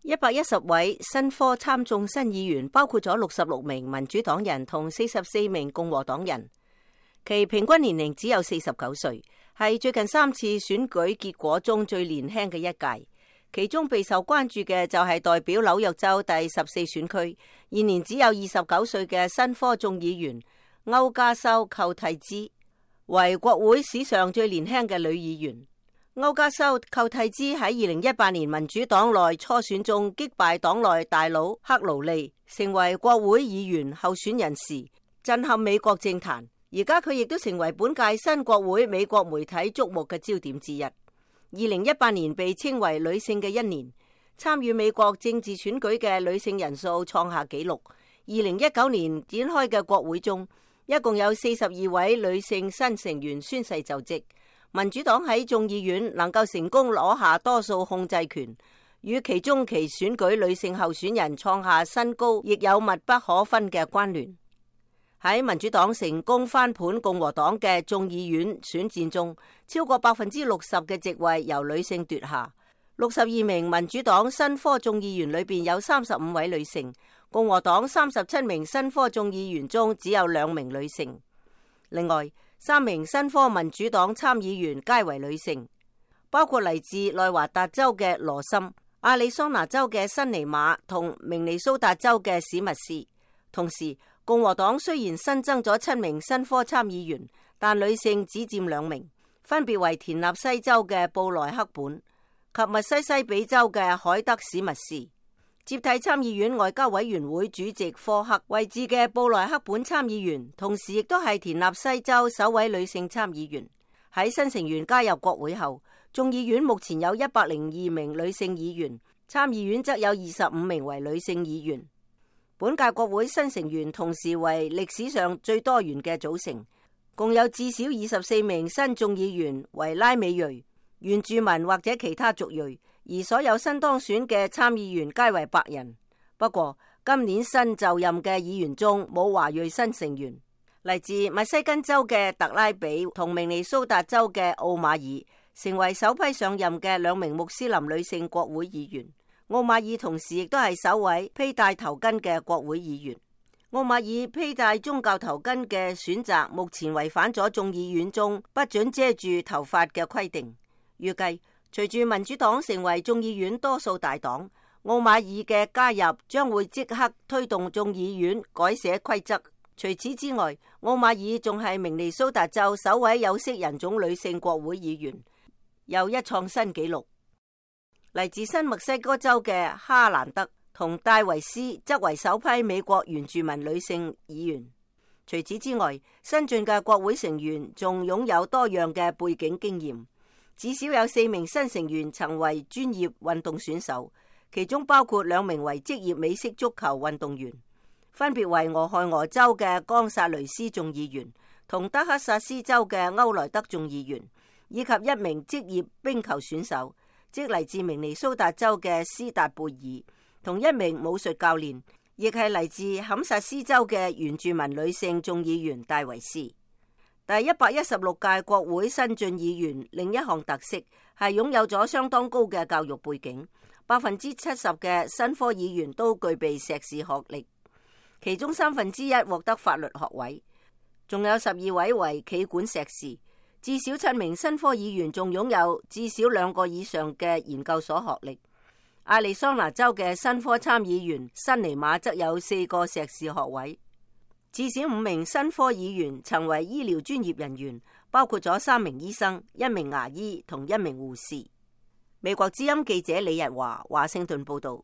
110位新科參眾新議員，包括咗66名民主黨人同44名共和黨人，其平均年齡只有49歲，係最近3次選舉結果中最年輕嘅一屆。其中備受關注嘅就係代表紐約州第14選區，現年只有29歲嘅新科眾議員歐加修寇蒂茲，為國會史上最年輕嘅女議員。歐加修寇蒂茲喺2018年民主黨內初選中擊敗黨內大佬克勞利，成為國會議員候選人時，震撼美國政壇。而家佢亦都成為本屆新國會美國媒體矚目嘅焦點之一。2018年被稱為女性嘅一年，參與美國政治選舉嘅女性人數創下紀錄。2019年展開嘅國會中，一共有42位女性新成員宣誓就職。民主黨喺眾議院能夠成功攞下多數控制權，與其中期選舉女性候選人創下新高，亦有密不可分嘅關聯。喺民主黨成功翻盤共和黨嘅眾議院選戰中，超過60%嘅席位由女性奪下。62名民主黨新科眾議員裏邊有35位女性，共和黨37名新科眾議員中只有2名女性。另外3名新科民主黨參議員皆為女性，包括嚟自內華達州嘅羅森、亞利桑那州嘅辛尼瑪同明尼蘇達州嘅史密斯。同時共和黨雖然新增咗7名新科參議員，但女性只佔2名，分別為田納西州嘅布萊克本及密西西比州嘅海德史密斯。接替參議院外交委員會主席科克位置嘅布萊克本參議員，同時亦都係田納西州首位女性參議員。喺新成員加入國會後，眾議院目前有102名女性議員，參議院則有25名為女性議員。本屆國會新成員同時為歷史上最多元嘅組成，共有至少24名新眾議員為拉美裔、原住民或者其他族裔，而所有新當選嘅參議員皆為白人。不過今年新就任嘅議員中冇華裔新成員，嚟自密西根州嘅特拉比同明尼蘇達州嘅奧馬爾成為首批上任嘅2名穆斯林女性國會議員。奧馬爾同時亦都係首位披戴頭巾嘅國會議員。奧馬爾披戴宗教頭巾嘅選擇目前違反咗眾議院中不准遮住頭髮嘅規定。預計隨住民主黨成為眾議院多數大黨，奧馬爾嘅加入將會即刻推動眾議院改寫規則。除此之外，奧馬爾仲係明尼蘇達州首位有色人種女性國會議員，又一創新紀錄。嚟自新墨西哥州嘅哈蘭德同戴維斯則為首批美國原住民女性議員。除此之外，新進嘅國會成員仲擁有多樣嘅背景經驗，至少有4名新成員曾為專業運動選手，其中包括2名為職業美式足球運動員，分別為俄亥俄州嘅岡薩雷斯眾議員同德克薩斯州嘅歐萊德眾議員，以及1名職業冰球選手，即嚟自明尼蘇達州嘅斯達貝爾，同1名武術教練，亦係嚟自堪薩斯州嘅原住民女性眾議員戴維斯。第116屆國會新進議員另一項特色係擁有咗相當高嘅教育背景，70%嘅新科議員都具備碩士學歷，其中1/3獲得法律學位，仲有12位為企管碩士。至少7名新科議員仲擁有至少2個以上嘅研究所學歷。亞利桑那州嘅新科參議員辛尼瑪則有4個碩士學位。至少5名新科議員曾為醫療專業人員，包括咗3名醫生、1名牙醫同1名護士。美國之音記者李日華華盛頓報道。